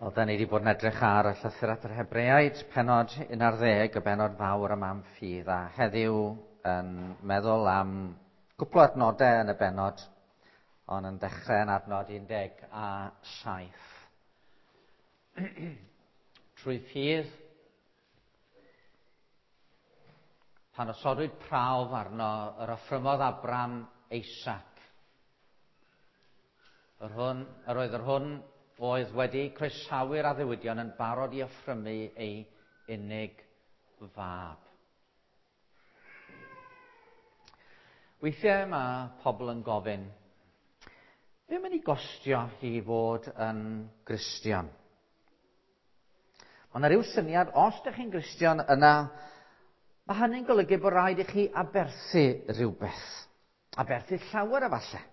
Wel, da ni wedi bod yn edrych ar y llythyr at yr Hebreaid, penod 11, y benod fawr am am ffydd, a heddiw yn meddwl am gwpl o adnodau yn y benod, ond yn dechrau yn adnod 17. Trwy ffydd, pan osodwyd prawf arno, yr offrymodd Abram Isaac. Yr hwn, yr oedd yr hwn oedd wedi croesawu'r addewidion yn barod i offrymu ei unig fab. Weithiau mae pobl yn gofyn, be mae'n ei gostio i fod yn Gristion? Mae yna rhyw syniad, os ydych chi'n Gristion yna, mae hynny'n golygu bod rhaid i chi aberthu rhywbeth. Aberthu llawer efallai.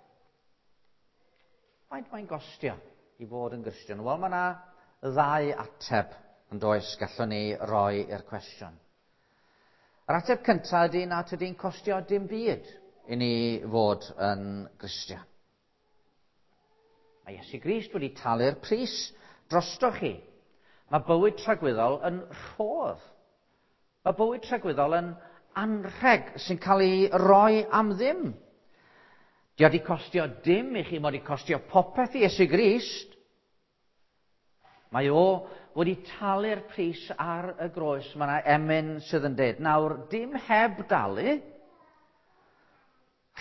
Faint mae'n gostio i fod yn Gristion? Wel, mae yna ddau ateb yn does gallwn ni roi i'r cwestiwn. Yr ateb cyntaf ydy nad ydy'n costio dim byd i ni fod yn Gristion. Mae Iesu Grist wedi talu'r pris drosto chi. Mae bywyd tragwyddol yn rhodd. Mae bywyd tragwyddol yn anrheg sy'n cael ei roi am ddim. Di o 'di costio dim i chi, mae wedi costio popeth i Iesu Grist. Mae o wedi talu'r pris ar y groes. Mae yna emyn sydd yn dweud, nawr, dim heb dalu,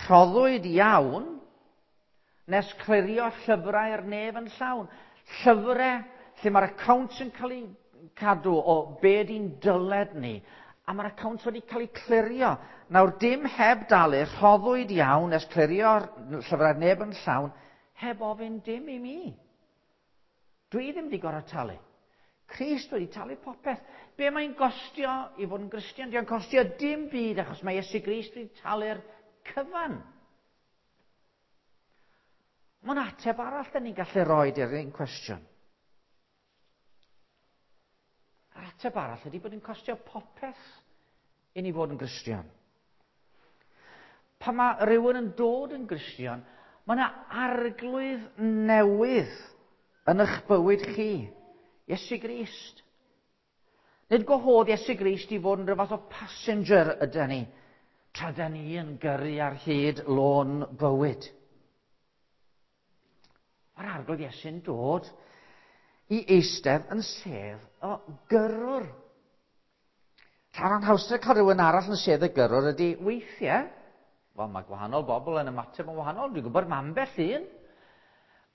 rhoddwyd iawn, nes clirio llyfrau'r nef yn llawn. Llyfrau lle mae'r accounts yn cael ei cadw o be di'n dyled ni, a mae'r accounts wedi cael ei clirio. Nawr, dim heb dalu, rhoddwyd iawn nes clirio'r llyfrau'r neb yn llawn, heb ofyn dim i mi. Dwi ddim wedi gorfod talu. Crist wedi talu popeth. Be mae'n gostio i fod yn Gristion? Dio'n costio dim byd achos mae Iesu Grist wedi talu'r cyfan. Mae'n ateb arall da ni'n gallu rhoi i'r un cwestiwn. Yr ateb arall ydy bod yn costio popeth i ni fod yn Gristion. Pan mae rhywun yn dod yn Gristion, mae yna arglwydd newydd yn eich bywyd chi. Iesu Grist. Nid gwahodd Iesu Grist i fod yn rhyw fath o passenger ydy ni, tra da ni yn gyrru ar hyd lôn bywyd. Mae'r arglwydd Iesu'n dod i eistedd yn sedd o gyrrwr. Rhan anhawster cael rhywun arall yn sedd y gyrrwr ydy weithiau, wel mae gwahanol bobl yn ymateb yn wahanol, dwi'n gwybod mae ambell un,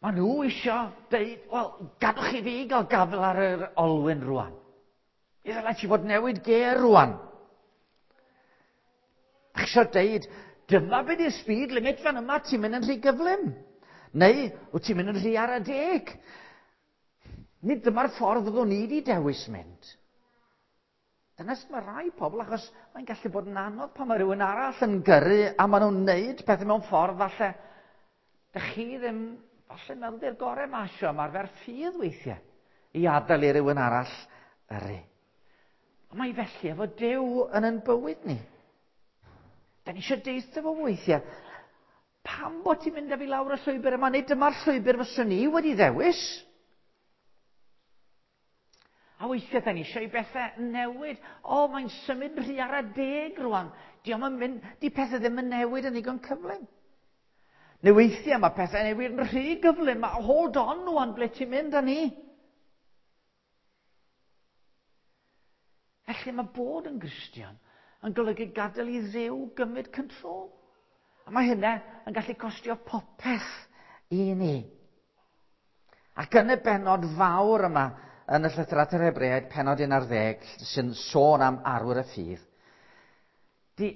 mae nhw eisiau deud, wel, gadwch chi fi gael gafel ar yr olwyn rwan. I ddylai ti fod newid ger rwan. Chi eisiau deud, dyma be di'r speed limit fan yma, ti'n mynd yn rhy gyflym. Neu, wyt ti'n mynd yn rhy ar y deg. Nid dyma'r ffordd fyddwn ni wedi dewis mynd. Dyna sut mae rai pobl, achos mae'n gallu bod yn anodd pan mae rhywun arall yn gyrru a maen nhw'n neud pethau mewn ffordd falle. Dych chi ddim falle meddwl di'r gorau masio am arfer ffydd weithiau i adael i rywun arall yrru. Ond mae felly efo Duw yn yn bywyd ni. Da ni eisiau deitha fo weithiau. Pam bod ti'n mynd â fi lawr y llwybr yma? Nid dyma'r llwybr fyswn ni wedi ddewis. A weithiau da ni eisiau i bethau newid. O, mae'n symud rhy ar y deg rwan. Di yn mynd, di pethau ddim yn newid yn ddigon cyflym. Neu weithiau mae pethau newid yn rhy gyflym. Mae hold on rwan, ble ti'n mynd â ni? Felly mae bod yn Gristion yn golygu gadael i Dduw gymryd control. A mae hynna yn gallu costio popeth i ni. Ac yn y benod fawr yma, yn y llythyr at yr Hebreaid, penod 11, sy'n sôn am arwyr y ffydd, di,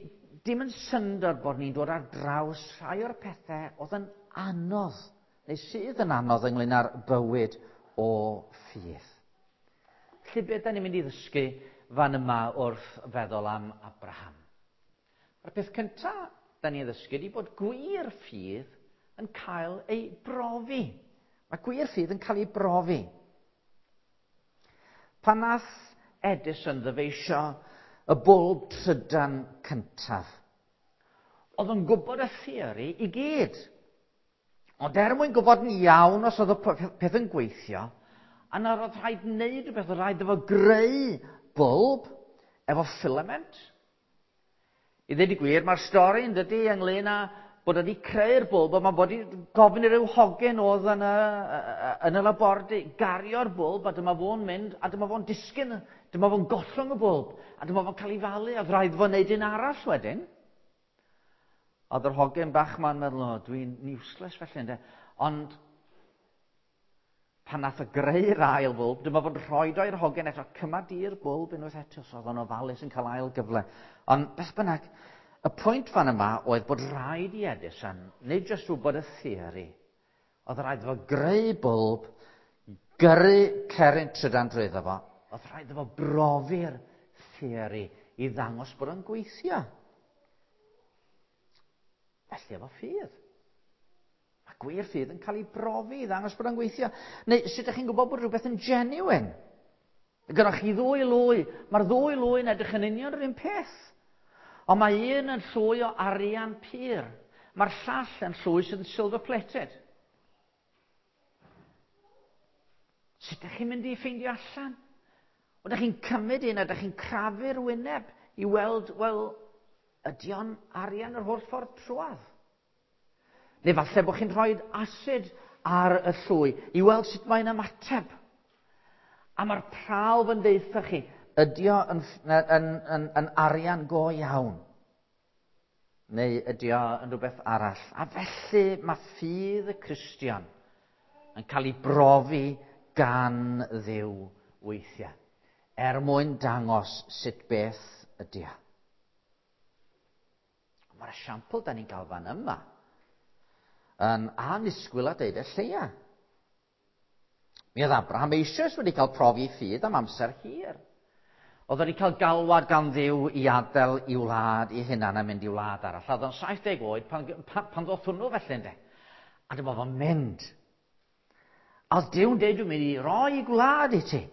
dim yn syndod bod ni'n dod ar draws rhai o'r pethau oedd yn anodd, neu sydd yn anodd ynglyn â'r bywyd o ffydd. Felly beth da ni'n mynd i ddysgu fan yma wrth feddwl am Abraham? Mae'r peth cyntaf da ni'n ddysgu ydy bod gwir ffydd yn cael ei brofi. Mae gwir ffydd yn cael ei brofi. Pan nath Edison ddyfeisio y bwlb trydan cyntaf, oedd yn gwybod y theori i gyd. Ond er mwyn gwybod yn iawn os oedd y peth yn gweithio, A na roedd rhaid wneud rhywbeth, roedd rhaid efo greu bwlb efo filament. I ddweud y gwir, mae'r stori yn dydy ynglyn â bod wedi creu'r bwlb, ond mae bod wedi gofyn i ryw hogyn oedd yn y, yn y labordy gario'r bwlb, a dyma fo'n mynd, a dyma fo'n disgyn, dyma fo'n gollwng y bwlb, a dyma fo'n cael ei falu, a rhaid fo'n neud un arall wedyn. Oedd yr hogyn bach ma'n meddwl, o, dwi'n useless felly, ynddo. Ond pan nath o greu'r ail fwlb, dyma fo'n rhoi o i'r hogyn eto, cyma di'r bwlb unwaith eto, so oedd o'n ofalus yn cael ail gyfle. Ond beth bynnag, y pwynt fan yma oedd bod rhaid i Edison, nid jyst wybod y theori, oedd rhaid fo greu bwlb, gyrru cerrynt trydan drwyddo fo, oedd rhaid fo brofi'r theori i ddangos bod o'n gweithio. Felly efo ffydd. Mae gwir ffydd yn cael ei brofi i ddangos bod o'n gweithio. Neu sut ydych chi'n gwybod bod rhywbeth yn genuine? Gyda chi ddwy lwy, mae'r ddwy lwy yn edrych yn union yr un peth. Ond mae un yn llwy o arian pur. Mae'r llall yn llwy sydd yn silver plated. Sut ydych chi'n mynd i ffeindio allan? Ydych chi'n cymryd un a ydych chi'n crafu'r wyneb i weld, wel, ydy o'n arian yr holl ffordd trwadd? Neu falle bod chi'n rhoi asid ar y llwy i weld sut mae'n ymateb. A mae'r prawf yn deutha chi, ydy o yn, yn, yn, yn arian go iawn? Neu ydy o yn rhywbeth arall? A felly mae ffydd y Cristion yn cael ei brofi gan Dduw weithiau, er mwyn dangos sut beth ydy o. Mae'r esiampl da ni'n cael fan yma yn annisgwyl a deud y lleia. Mi oedd Abraham eisoes wedi cael profi ffydd am amser hir. Oedd wedi cael galwad gan Dduw i adael i wlad i hunan a mynd i wlad arall. Oedd o'n 70 oed pan, pan, pan ddoth hwnnw felly ynde. A dyma fo'n mynd. A oedd Duw'n deud dwi'n mynd i roi gwlad i ti.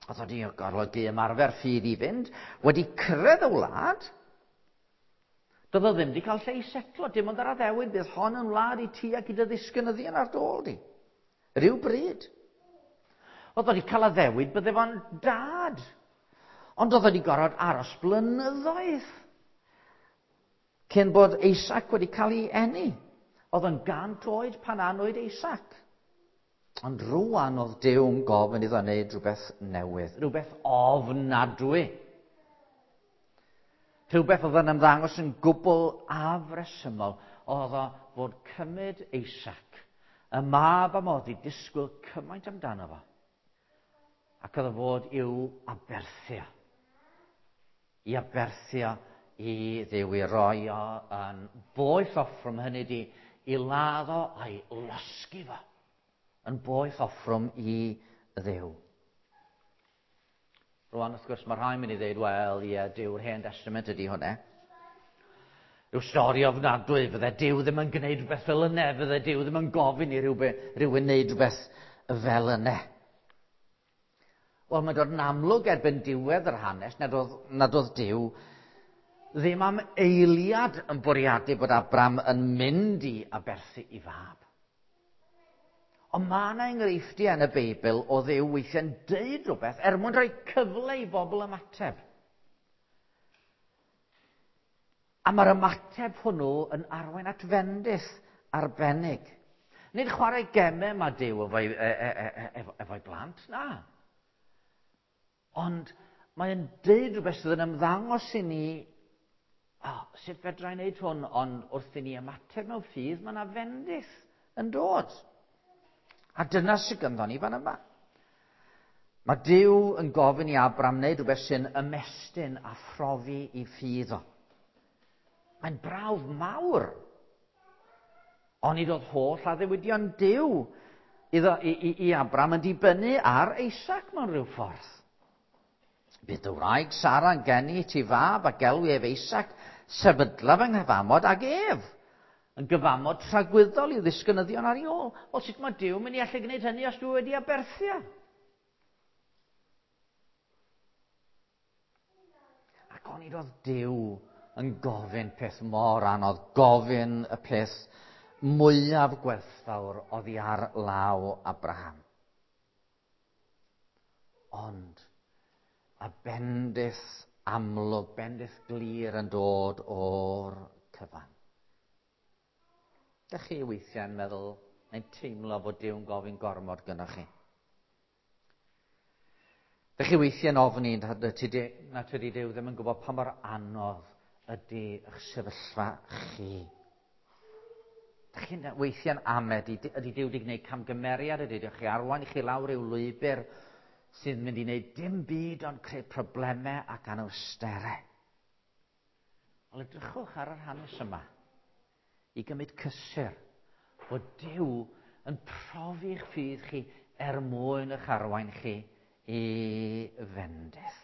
Oedd wedi gorfod ymarfer ffydd i fynd, wedi cyrraedd y wlad, doedd o ddim wedi cael lle i setlo, dim ond ar addewid bydd hon yn wlad i ti ac i dy ddisgynyddion ar dôl di. Rhyw bryd. Oedd wedi cael addewid bydde fo'n dad. Ond oedd wedi gorfod aros blynyddoedd cyn bod Isaac wedi cael ei eni. Oedd yn 100 oed pan anwyd Isaac. Ond rwan oedd Duw'n gofyn iddo wneud rhywbeth newydd, rhywbeth ofnadwy. Rhywbeth oedd yn ymddangos yn gwbl afresymol, oedd o fod cymryd Isaac, y mab am oedd i disgwyl cymaint amdano fo, ac oedd o fod i'w aberthio. I aberthio i Dduw, i roi o yn boeth offrwm, hynny di, i ladd o a'i losgi fo, yn boeth offrwm i Dduw. Rwan, wrth gwrs, mae rhai'n mynd i ddweud, wel, ie, Duw'r Hen Testament ydy hwnna. Rhyw stori ofnadwy, fydde Duw ddim yn gwneud rhywbeth fel yna, fydde Duw ddim yn gofyn i rhywun wneud rhywbeth fel yna. Wel, mae'n dod yn amlwg erbyn diwedd yr hanes nad oedd, nad oedd Duw ddim am eiliad yn bwriadu bod Abram yn mynd i aberthu i fab. Ond mae yna enghreifftiau yn y Beibl o Dduw weithiau'n deud rhywbeth er mwyn rhoi cyfle i bobl ymateb. A mae'r ymateb hwnnw yn arwain at fendith arbennig. Nid chwarae gemau mae Duw efo'i e, e, e, efo, efo blant, na. Ond mae'n deud rhywbeth sydd yn ymddangos i ni, oh, sut fedra i wneud hwn, ond wrth i ni ymateb mewn ffydd, mae yna fendith yn dod. A dyna sydd ganddo ni fan yma. Mae Duw yn gofyn i Abram wneud rhywbeth sy'n ymestyn a phrofi i ffydd o. Mae'n brawf mawr. Ond nid oedd holl addewidion Duw iddo, i, i, i Abram yn dibynnu ar Isaac mewn rhyw ffordd. Bydd dy wraig Sara yn geni ti fab a gelwi ef Isaac, sefydla fy nghyfamod ag ef. Yn gyfamod tragwyddol i'w ddisgynyddion ar ei ôl. Wel, sut mae Duw mynd i allu gwneud hynny os dwi wedi aberthio? Ac onid oedd Duw yn gofyn peth mor anodd, gofyn y peth mwyaf gwerthfawr oddi ar law Abraham. Ond y bendith amlwg, bendith glir yn dod o'r cyfan. Dych chi weithiau'n meddwl, neu'n teimlo fod Duw'n gofyn gormod gyda chi? Dych chi weithiau'n ofni na tydi Duw ddim yn gwybod pa mor anodd ydy eich sefyllfa chi. Dych chi'n weithiau'n amed, ydy Duw wedi gwneud camgymeriad, ydy Duw chi arwain i chi lawr i'w lwybr sydd yn mynd i wneud dim byd ond creu problemau ac anawsterau. Wel, edrychwch ar yr hanes yma i gymryd cysur fod Duw yn profi'ch ffydd chi er mwyn eich arwain chi i fendith.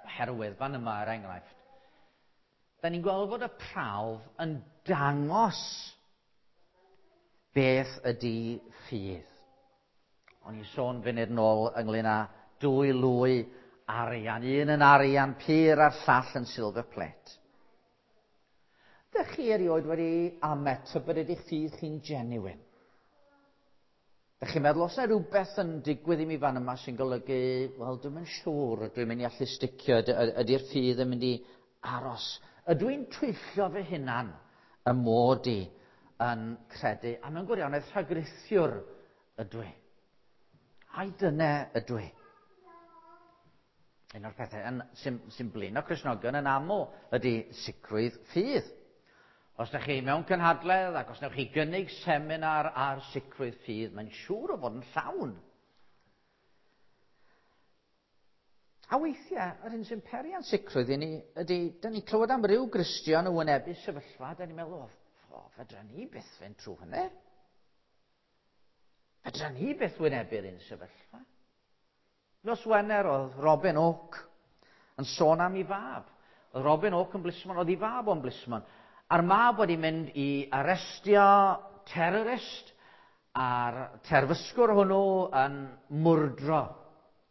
Oherwydd, fan yma er enghraifft, da ni'n gweld fod y prawf yn dangos beth ydy ffydd. O'n i'n sôn funud nôl ynglyn â dwy lwy arian, un yn arian pur a'r llall yn silver plate. Dych chi erioed wedi ame tybed ydych ffydd chi'n genuine? Dych chi'n meddwl, os yna rhywbeth yn digwydd i mi fan yma sy'n golygu, wel, dwi'm yn siŵr ydw i'n mynd i allu sticio, ydy'r ffydd yn mynd i aros. Ydw i'n twyllo fy hunan y mod i yn credu, a mewn gwirionedd rhagrithiwr ydw i. Ai dyna ydw i. Un o'r pethau sy'n sy blino Cristnogion yn aml ydy sicrwydd ffydd. Os ydych chi mewn cynhadledd ac os wnewch chi gynnig seminar ar sicrwydd ffydd, mae'n siŵr o fod yn llawn. A weithiau, yr hyn sy'n peri ansicrwydd i ni ydy, da ni'n clywed am ryw Gristion yn wynebu sefyllfa, da ni'n meddwl, o, fedra ni byth fynd trwy hynny. Fedra ni byth wynebu'r un sefyllfa. Nos Wener oedd Robin Oak yn sôn am ei fab. Oedd Robin Oak yn blismon, oedd ei fab o'n blismon. A'r mab wedi mynd i arestio terrorist, a'r terfysgwr hwnnw yn mwrdro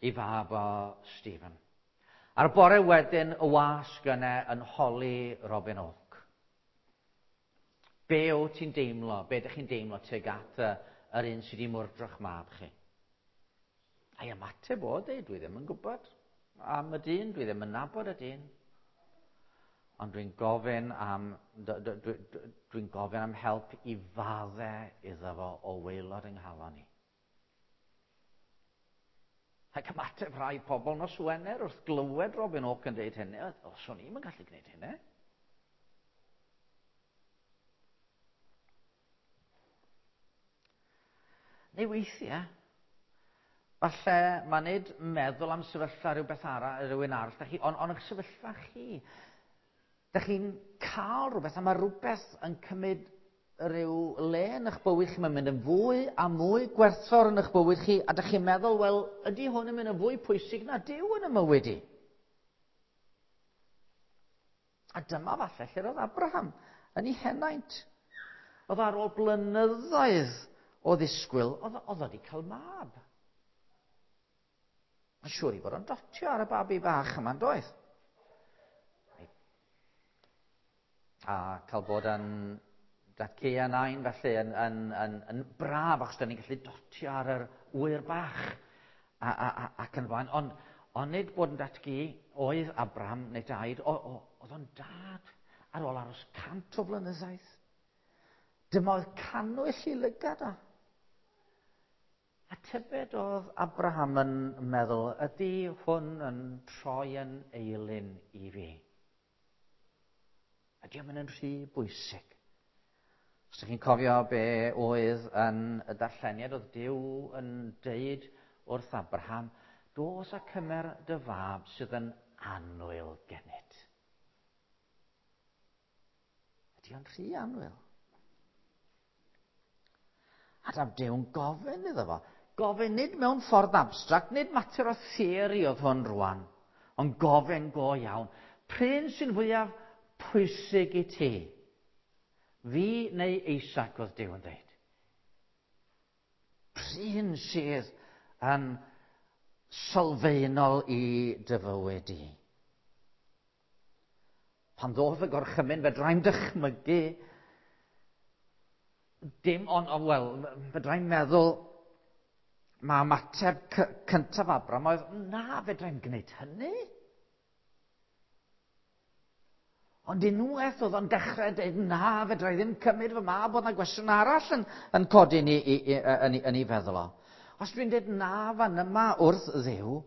i fab o Stephen. A'r bore wedyn, y wasg yna yn holi Robin Oak. Be o ti'n deimlo, be ydych chi'n deimlo tuag at yr un sydd wedi mwrdro'ch mab chi? A'i ymateb o, dweud, dwi ddim yn gwybod am y dyn, dwi ddim yn nabod y dyn. Ond dwi'n gofyn am, dwi'n gofyn am help i fadde iddo fo o waelod yng nghalon i. Ac ymateb rhai pobl nos Wener wrth glywed Robin Oak yn dweud hynny, o, swn i'm yn gallu gwneud hynny. Neu weithiau, falle mae nid meddwl am sefyllfa rhywbeth arall, rhywun arall, da chi, ond on eich sefyllfa chi. Da chi'n cael rhywbeth, a mae rhywbeth yn cymryd rhyw le yn eich bywyd chi, mae'n mynd yn fwy a mwy gwerthfawr yn eich bywyd chi, a da chi'n meddwl, wel, ydy hwn yn mynd yn fwy pwysig na Duw yn y mywyd i? A dyma falle lle roedd Abraham yn ei henaint. Oedd ar ôl blynyddoedd o ddisgwyl, oedd oedd wedi cael mab. Mae'n siŵr i fod o'n dotio ar y babi bach yma'n doedd. A cael bod yn datgu a nain felly yn, yn, yn, yn braf, achos da ni'n gallu dotio ar yr wyr bach a, a, a, ac yn blaen. Ond, ond nid bod yn datgu oedd Abraham neu daid, oedd o'n dad ar ôl aros 100 o flynyddoedd. Dyma oedd cannwyll i lygad o. A tybed oedd Abraham yn meddwl, ydy hwn yn troi yn eilun i fi? Ydy o'n mynd yn rhy bwysig? Os ydych chi'n cofio be oedd yn y darlleniad, oedd Duw yn deud wrth Abraham, dos a cymer dy fab sydd yn annwyl gennyt. Ydy o'n rhy annwyl? A daf Duw'n gofyn iddo fo. Gofyn nid mewn ffordd abstract, nid mater o theori oedd hwn rwan, ond gofyn go iawn. Pryn sy'n fwyaf pwysig i ti? Fi neu Isaac oedd Duw yn dweud. Pryn sydd yn sylfaenol i dy fywyd i? Pan ddodd y gorchymyn, fedrai'm dychmygu dim ond, oh, wel, fedrai'm meddwl Mae ymateb cyntaf Abram oedd, na, fedra i'm gwneud hynny. Ond unwaith oedd o'n dechrau dweud, na, fedra i ddim cymryd fy mab, oedd 'na gwestiwn arall yn codi yn ei feddwl o. Os dwi'n dweud na fan yma wrth Dduw,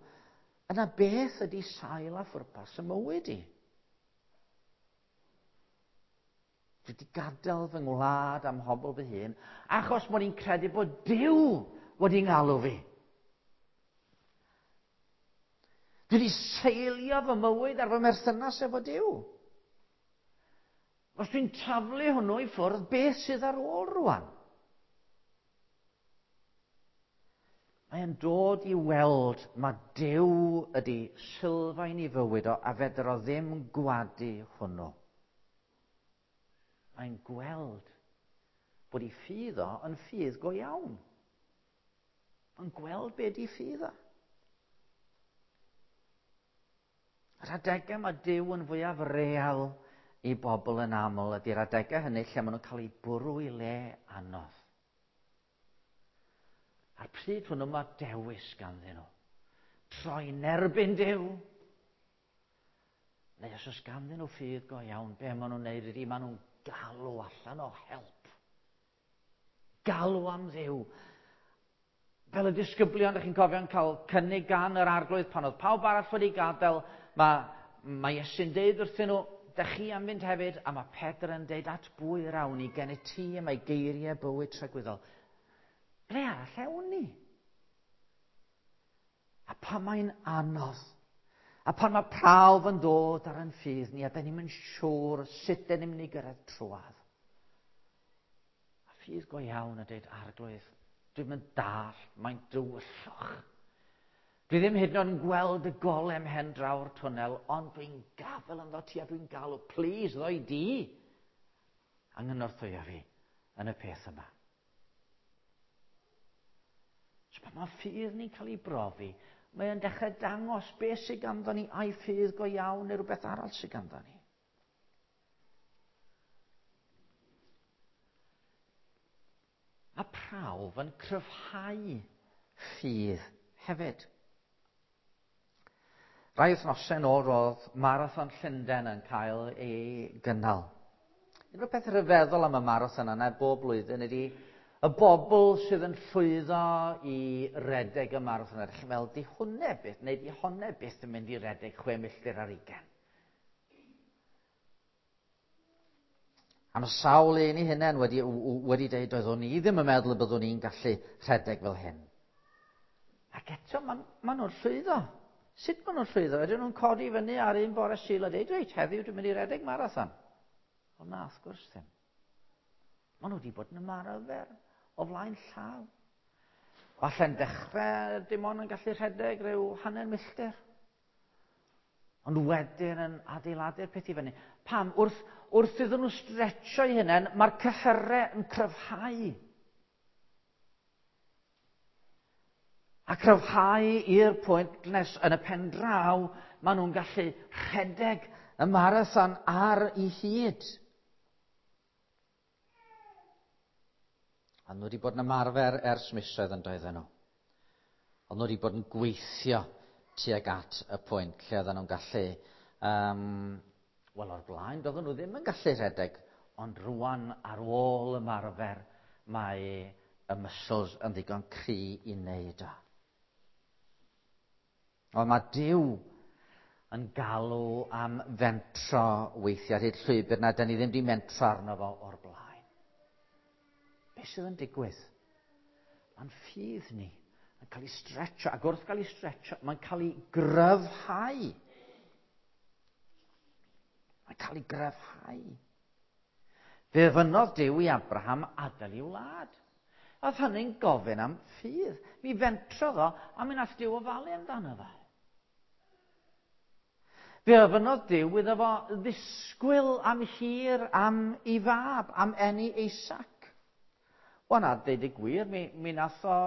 yna beth ydy sail a phwrpas y mywyd i? Dwi wedi gadael fy ngwlad am hobl fy hun, achos mod i'n credu bod Duw wedi ngalw fi. Dwi wedi seilio fy mywyd ar fy mherthynas efo Duw. Os dwi'n taflu hwnnw i ffwrdd, beth sydd ar ôl rwan? Mae'n dod i weld mae Duw ydy sylfaen i fywyd o, a fedr o ddim gwadu hwnnw. Mae'n gweld bod ei ffydd o yn ffydd go iawn. Mae'n gweld be di ffydd o. Yr adegau mae Duw yn fwyaf real i bobl yn aml ydy'r adegau hynny lle maen nhw'n cael eu bwrw i le anodd. A'r pryd hwnnw mae dewis ganddyn nhw. Troi'n erbyn Duw. Neu os oes ganddyn nhw ffydd go iawn, be maen nhw'n neud ydy maen nhw'n galw allan o help. Galw am Dduw. Fel y disgyblion, ydych chi'n cofio, yn cael cynnig gan yr arglwydd pan oedd pawb arall wedi gadael, mae Iesu'n deud wrthyn nhw, dych chi am fynd hefyd, a mae Pedr yn deud, at bwy yr awn ni, gen i ti y mae geiriau bywyd tragwyddol. Ble arall ewn ni? A pan mae'n anodd, a pan mae prawf yn dod ar ein ffydd ni, a da ni'm yn siŵr sut da ni'n mynd i gyrraedd trwadd. A ffydd go iawn yn dweud, arglwydd, dwi'm yn dallt, mae'n dywyllwch. Dwi ddim hyd yn oed yn gweld y golau ym mhen draw'r twnnel, ond dwi'n gafel ynddo ti a dwi'n galw, please, ddoi di anghynorthwyo fi yn y peth yma. So pan mae ffydd ni'n cael ei brofi, mae o'n dechrau dangos beth sydd ganddo ni, ai ffydd go iawn neu rhywbeth arall sydd ganddo ni. A prawf yn cryfhau ffydd hefyd. Rai wythnosau yn ôl roedd Marathon Llundain yn cael ei gynnal. Un o'r peth rhyfeddol am y marathon yna bob blwyddyn ydy y bobl sydd yn llwyddo i redeg y marathon yna. Chi'n meddwl, di hwnne byth, neu di honne byth yn mynd i redeg 6 milltir ar ugain. A mae sawl un i hunain wedi dweud, doeddwn i ddim yn meddwl y byddwn i'n gallu rhedeg fel hyn. Ac eto, ma nhw'n llwyddo. Sut maen nhw'n llwyddo? Ydyn nhw'n codi fyny ar un bore Sul a dweud, reit, heddiw dwi'n mynd i redeg marathon. O na, wrth gwrs ddim. Maen nhw wedi bod yn ymarfer o flaen llaw. Falle'n dechrau dim ond yn gallu rhedeg rhyw hanner milltir. Ond wedyn yn adeiladu'r peth i fyny. Pam? Wrth iddyn nhw stretcho eu hunain, mae'r cyhyrau yn cryfhau. A cryfhau i'r pwynt nes yn y pen draw, maen nhw'n gallu rhedeg y marathon ar ei hyd. A nhw wedi bod yn ymarfer ers misoedd yn doedden nhw. Ond nhw wedi bod yn gweithio tuag at y pwynt lle oedden nhw'n gallu... Wel, o'r blaen, doedden nhw ddim yn gallu rhedeg, ond rwan ar ôl ymarfer mae y muscles yn ddigon cry i wneud o. Ond mae Duw yn galw am fentro weithiau ar hyd llwybr na da ni ddim wedi mentro arno fo o'r blaen. Be sydd yn digwydd? Mae'n ffydd ni yn cael ei stretcho, ac wrth gael ei stretcho, mae'n cael ei gryfhau. Mae'n cael ei gryfhau. Fe ofynnodd Duw i Abraham adael ei wlad. Oedd hynny'n gofyn am ffydd. Mi fentrodd o, a mi nath Duw ofalu amdano fo. Fe ofynnodd Duw iddo fo ddisgwyl am hir am ei fab, am eni Isaac. Wel, na, deud y gwir, mi nath o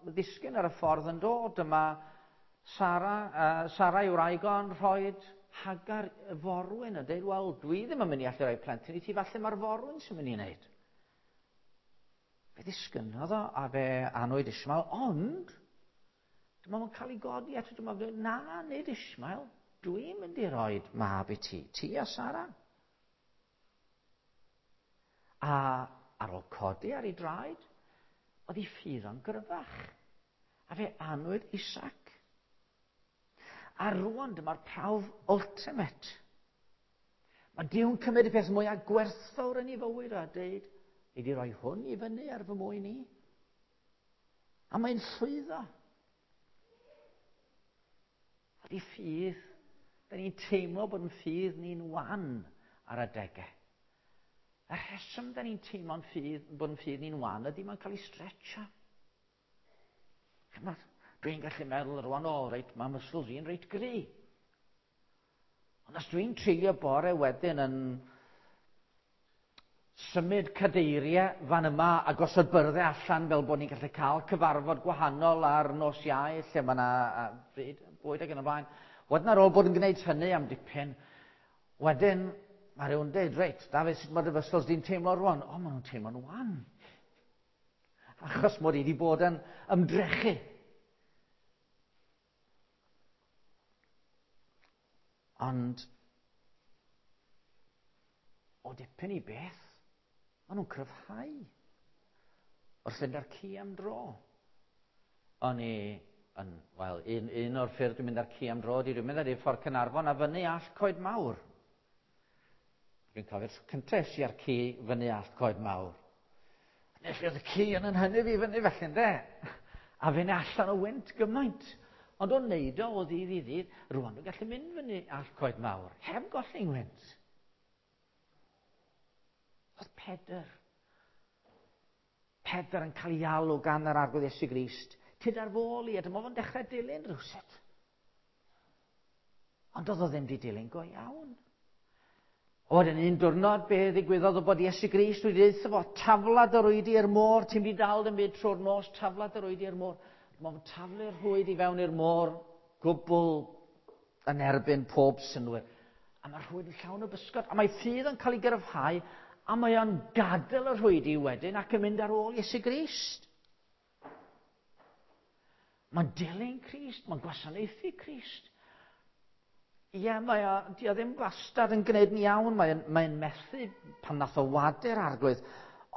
ddisgyn ar y ffordd yn dod. Dyma Sara i wraig o'n rhoi Hagar y forwyn yn deud, wel, dwi ddim yn mynd i allu rhoi plentyn i ti, falle mae'r forwyn sy'n mynd i wneud. Fe ddisgynnodd o a fe anwyd Ishmael, ond Dyma fo'n cael ei godi eto, dyma fo'n dweud, na, nid Ishmael, dwi'n mynd i roed mab i ti, ti a Sara. A ar ôl codi ar ei draed, oedd ei ffydd o'n gryfach. A fe anwyd Isaac. A rwan dyma'r prawf ultimate. Mae Duw'n cymryd y peth mwyaf gwerthfawr yn ei fywyd a dweud, i di roi hwn i fyny ar fy mwyn i. A mae'n llwyddo. Ydy ffydd, da ni'n teimlo bod yn ffydd ni'n wan ar adegau. Y rheswm da ni'n teimlo'n ffydd, bod yn ffydd ni'n wan ydy mae'n cael ei stretcho. Chymod, dwi'n gallu meddwl rwan, o, reit, mae muscles i'n reit gry. Ond os dwi'n treulio bore wedyn yn symud cadeiriau fan yma a gosod byrddau allan fel bod ni'n gallu cael cyfarfod gwahanol ar nos Iau lle mae yna bryd, bwyd ac yn y blaen. Wedyn ar ôl bod yn gwneud hynny am dipyn, wedyn mae rhywun dweud, reit, Dafydd, sut mae dy fysgos di'n teimlo rwan? O, maen nhw'n teimlo'n wan. Achos mod i wedi bod yn ymdrechu. Ond, o dipyn i beth, maen nhw'n cryfhau. Wrth fynd â'r ci am dro. O'n i yn, wel, un, un o'r ffyrdd dwi'n mynd â'r ci am dro, dwi'n mynd ar ffordd Cynarfon a fyny all Coed Mawr. Dwi'n cofio'r tro cyntaf es i â'r ci fyny allt Coed Mawr. Nes i oedd y ci yn yn hynny fi fyny felly, ynde? A fe'n allan o wynt gymaint. Ond o'n neud o o ddydd i ddydd, rwan dwi'n gallu mynd fyny allt Coed Mawr, heb golli ngwynt. Oedd Pedr. Pedr yn cael ei alw gan yr Arglwydd Iesu Grist. Tyd ar fôl i, a dyma fo'n dechrau dilyn rhywsut. Ond oedd o ddim wedi dilyn go iawn. Wedyn un diwrnod be ddigwyddodd o bod Iesu Grist wedi dweud fo, tafla dy rwydi i'r môr, ti'n wedi dal dim byd trwy'r nos, tafla dy rwydi i'r môr. Mae'n taflu'r rhwyd i fewn i'r môr, gwbl yn erbyn pob synwyr. A mae'r rhwyd yn llawn o bysgod, a mae ffydd yn cael ei gryfhau, a mae o'n gadael y rhwydi wedyn ac yn mynd ar ôl Iesu Grist. Mae'n dilyn Crist, mae'n gwasanaethu Crist. Ie, mae o, di o ddim gwastad yn gwneud yn iawn, mae'n mae methu pan nath o wadu'r arglwydd,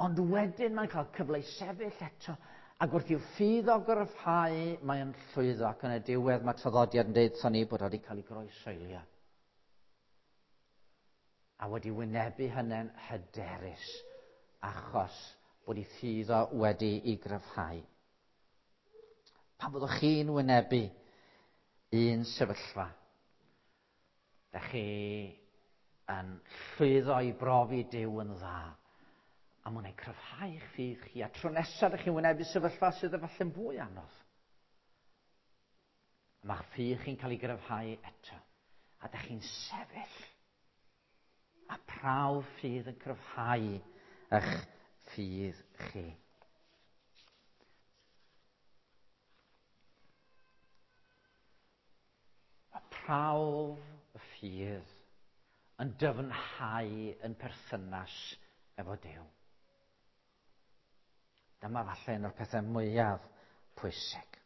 ond wedyn mae'n cael cyfle i sefyll eto, ac wrth i'w ffydd o gryfhau, mae'n llwyddo, ac yn y diwedd mae traddodiad yn dweud ni bod o wedi cael ei groesoelio. A wedi wynebu hynny'n hyderus, achos bod ei ffydd o wedi ei gryfhau. Pan fyddwch chi'n wynebu un sefyllfa, da chi yn llwyddo i brofi Duw yn dda, a mwyn ei cryfhau eich ffydd chi, a tro nesaf ydych chi'n wynebu sefyllfa sydd efallai'n fwy anodd. Mae'ch ffydd chi'n cael ei gryfhau eto, a da chi'n sefyll. A prawf ffydd yn cryfhau eich ffydd chi. Y prawf y ffydd yn dyfnhau yn perthynas efo Duw. Dyma falle un o'r pethau mwyaf pwysig.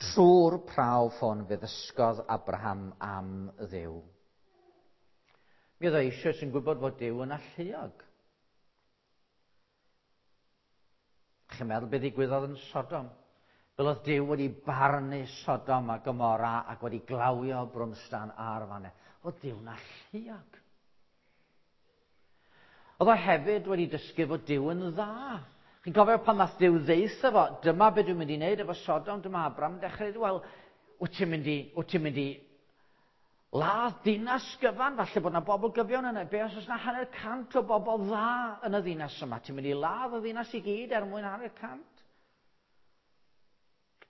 Trwy'r prawf hwn fe ddysgodd Abraham am Dduw. Mi oedd o eisoes yn gwybod fod Duw yn alluog. Chi'n meddwl beth ddigwyddodd yn Sodom? Fel oedd Duw wedi barnu Sodom a Gomorra ac wedi glawio brwmstan ar fanne. Oedd Duw'n alluog. Oedd o hefyd wedi dysgu fod Duw yn dda. Chi'n cofio pan nath Duw ddeutha fo, dyma beth dwi'n mynd i wneud efo Sodom, dyma Abraham yn dechrau, wel, wyt ti'n mynd i, wyt ti'n mynd i ladd dinas gyfan, falle bod yna bobl gyfiawn yna. Be os oes yna 50 o bobl dda yn y ddinas yma? Ti'n mynd i ladd y ddinas i gyd er mwyn 50?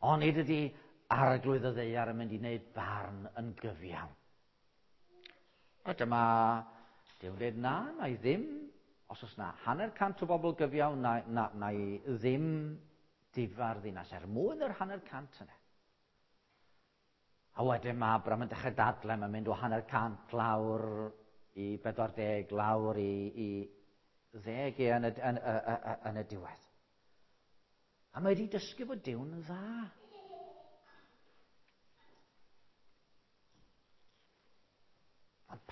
Ond nid ydy arglwydd y ddaear yn mynd i wneud barn yn gyfiawn. A dyma Duw'n dweud, na, na i ddim. Os oes yna 50 o bobl gyfiawn, na, na, na i ddim difa'r ddinas er mwyn yr 50 yna. A wedyn mae Abraham yn dechrau dadle, mae'n mynd o 50 lawr i 40, lawr i, i 10 i yn y, yn, yn, yn y diwedd. A mae wedi dysgu fod Duw'n dda.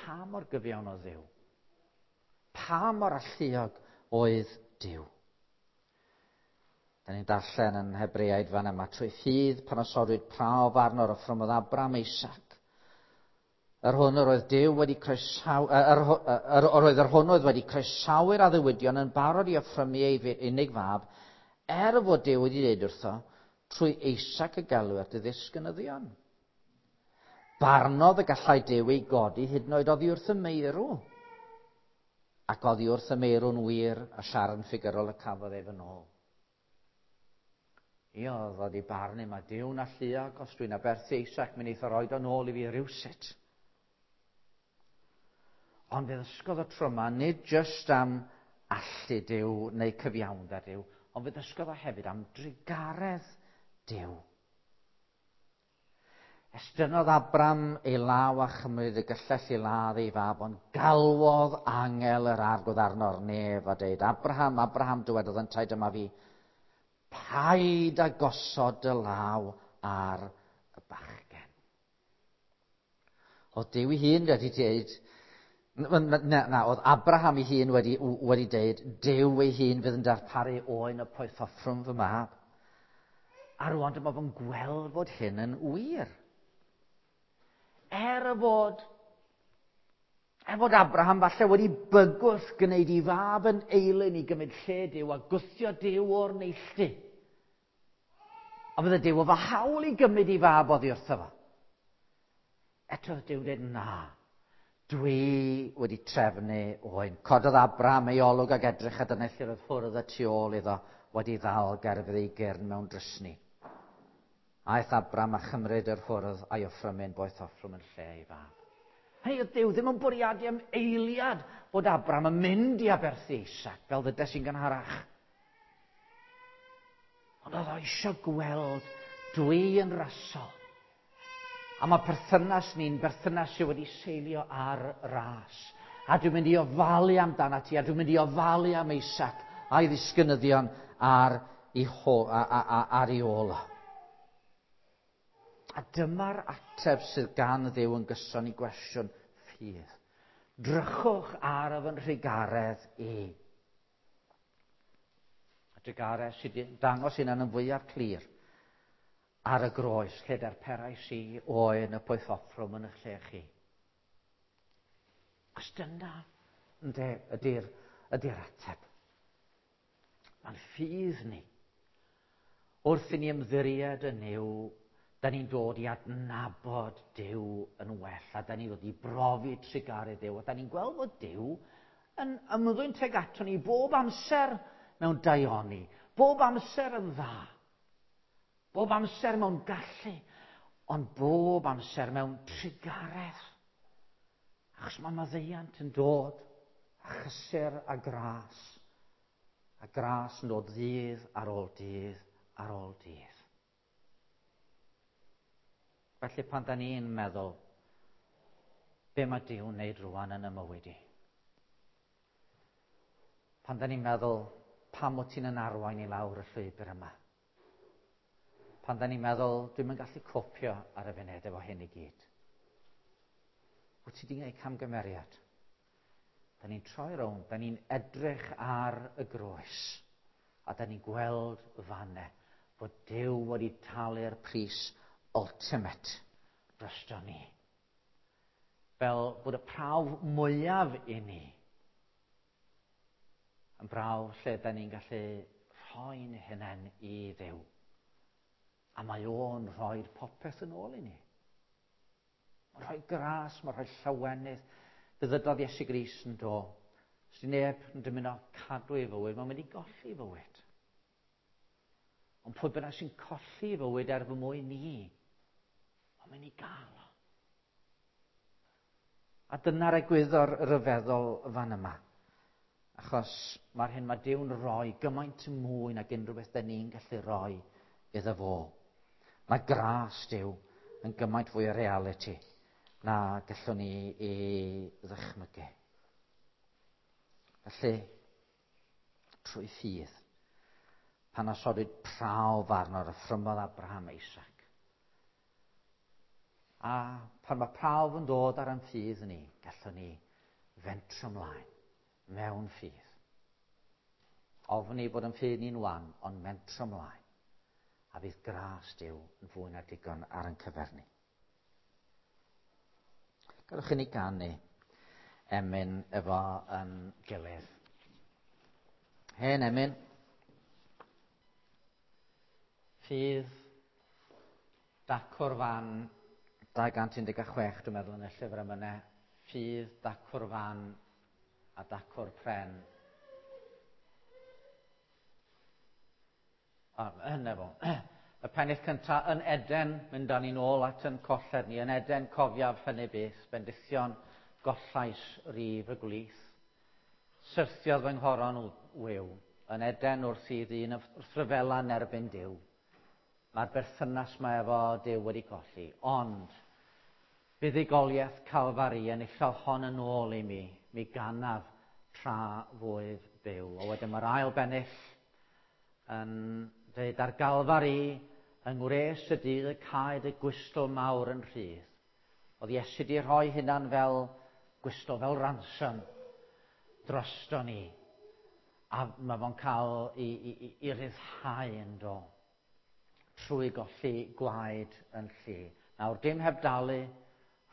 Pa mor gyfiawn oedd Dduw? Pa mor alluog oedd Duw? Da ni'n darllen yn Hebreaid fan yma, trwy ffydd pan osodwyd prawf arno'r offrymodd Abraham Isaac. Yr hwn yr oedd Duw wedi croesaw, yr, yr, yr oedd yr hwn oedd wedi croesawu'r addewidion yn barod i offrymu ei unig fab, er fod Duw wedi dweud wrtho, trwy Isaac y gelwir dy ddisgynyddion. Barnodd y gallai Duw ei godi hyd yn oed oddi wrth y meirw. Ac oddi wrth y meirw'n wir a siarad yn ffigurol y cafodd ef yn ôl. Ie, oedd wedi barnu, mae Duw'n alluog, os dwi'n aberthu Isaac, mi wneith o roed o'n ôl i fi rywsut. Ond fe ddysgodd y tro yma, nid jyst am allu Duw neu cyfiawnder Duw, ond fe ddysgodd o hefyd am drugaredd Duw. Estynnodd Abram ei law a chymryd y gyllell i ladd ei fab, ond galwodd angel yr arglwydd arno'r nef a deud, Abraham, Abraham, dywedodd yntau, dyma fi, paid â gosod dy law ar y bachgen. Oedd Duw ei hun wedi dweud, na, na, oedd Abraham ei hun wedi, wedi dweud, Duw ei hun fydd yn darparu oen y poethoffrwm fy mab. A rwan dyma fo'n gweld fod hyn yn wir. Er y fod Er fod Abraham falle wedi bygwth gwneud i fab yn eilun i gymryd lle Duw a gwthio Duw o'r neilltu. A fydde Duw efo hawl i gymryd i fab oddi wrtho fo. Eto oedd Duw dweud, na, dwi wedi trefnu oen. Cododd Abraham ei olwg ag edrych a dyna lle roedd hwrdd y tu ôl iddo wedi ddal gerfydd ei gyrn mewn drysni. Aeth Abram a chymryd yr hwrdd a'i offrymu'n boeth offrwm yn lle ei fab. Hynny yw, Duw ddim yn bwriadu am eiliad bod Abram yn mynd i aberthu Isaac, fel ddydes i'n gynharach. Ond oedd o eisiau gweld dwi yn rasol. A mae perthynas ni'n berthynas sydd wedi seilio ar ras. A dwi'n mynd i ofalu amdana ti, a dwi'n mynd i ofalu am Isaac a'i ddisgynyddion ar ei, ho, a, a, a, ar ei ôl o. A dyma'r ateb sydd gan Dduw yn gyson i gwestiwn ffydd. Drychwch ar fy nhrugaredd i. A drugaredd sydd wedi dangos hynna'n yn fwyaf clir ar y groes lle darperais i oen y poethoffrwm yn eich lle chi. Os dyna, ynde, ydy'r ydy ateb. Mae'n ffydd ni. Wrth i ni ymddiried yn Nuw, da ni'n dod i adnabod Duw yn well, a da ni'n dod i brofi trugaredd Duw, a da ni'n gweld bod Duw yn ymddwyn teg ato ni bob amser mewn daioni, bob amser yn dda, bob amser mewn gallu, ond bob amser mewn trugaredd. Achos mae maddeuant yn dod, a chysur a gras, a gras yn dod ddydd ar ôl dydd ar ôl dydd. Felly pan da ni'n meddwl, be mae Duw'n wneud rwan yn y mywyd i? Pan da ni'n meddwl, pam wyt ti'n yn arwain i lawr y llwybr yma? Pan da ni'n meddwl, dwi'n yn gallu copio ar y funud efo hyn i gyd. Wyt ti wedi gwneud camgymeriad? Da ni'n troi rownd, da ni'n edrych ar y groes, a da ni'n gweld fanne fod Duw wedi talu'r pris ultimate drosto ni. Fel bod y prawf mwyaf i ni yn brawf lle da ni'n gallu rhoi'n hunain i Dduw. A mae o'n rhoi'r popeth yn ôl i ni. Mae'n rhoi gras, mae'n rhoi llawenydd. Fe ddydodd Iesu Grist yn do. Os di neb yn dymuno cadw ei fywyd, mae'n mynd i golli ei fywyd. Ond pwy bynnag sy'n colli ei fywyd er fy mwyn ni, mae'n mynd i gael o. A dyna'r egwyddor ryfeddol fan yma. Achos mae'r hyn mae Duw'n rhoi gymaint mwy nag unrhyw beth da ni'n gallu rhoi iddo fo. Mae gras Duw yn gymaint fwy o reality na gallwn ni ei ddychmygu. Felly, trwy ffydd, pan osodwyd prawf arno'r offrymodd Abraham Isaac. A pan mae prawf yn dod ar ein ffydd ni, gallwn ni fentro ymlaen mewn ffydd. Ofni bod yn ffydd ni'n wan, ond mentro ymlaen. A fydd gras Duw yn fwy na digon ar ein cyfer ni. Gadewch i ni ganu emyn efo yn gilydd. Hen emyn. Ffydd dacw'r fan 216, dwi'n meddwl, yn y llyfr emynau. Ffydd dacw'r fan a dacw'r pren. A, hynny fo. Y pennill cyntaf yn Eden, mynd â ni'n ôl at yn colled ni. Yn Eden cofiaf hynny byth, bendithion gollais rif y gwlith. Syrthiodd fy nghoron wiw. Yn Eden wrth i ddyn wrth ryfela yn erbyn Duw. Mae'r berthynas mae efo Duw wedi colli. Ond buddugoliaeth Calfari enillodd hon yn ôl i mi. Mi ganaf tra fwyf byw. A wedyn mae'r ail bennill yn dweud ar Galfari yng ngwres y dydd y caed y gwystl mawr yn rhydd. Oedd Iesu di rhoi hunan fel gwystl, fel ransom drosto ni. A mae fo'n cael i, i, i, i ryddhau yn do trwy golli gwaed yn llu. Nawr, dim heb dalu,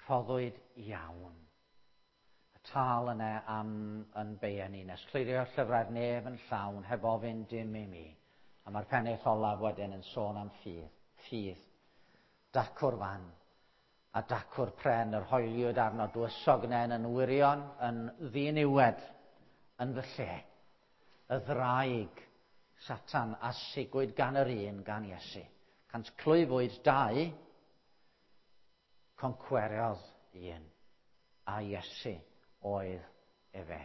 rhoddwyd iawn. Y tâl yna am yn beien ni, nes clirio llyfrau'r nef yn llawn, heb ofyn dim i mi. A mae'r pennill olaf wedyn yn sôn am ffydd. Ffydd. Dacw'r fan a dacw'r pren yr hoeliwyd arno dywysognen yn wirion, yn ddiniwed, yn fy lle. Y ddraig, Satan, a sigwyd gan yr un, gan Iesu. Cant clwyfwyd dau, concweriodd un, a Iesu oedd efe.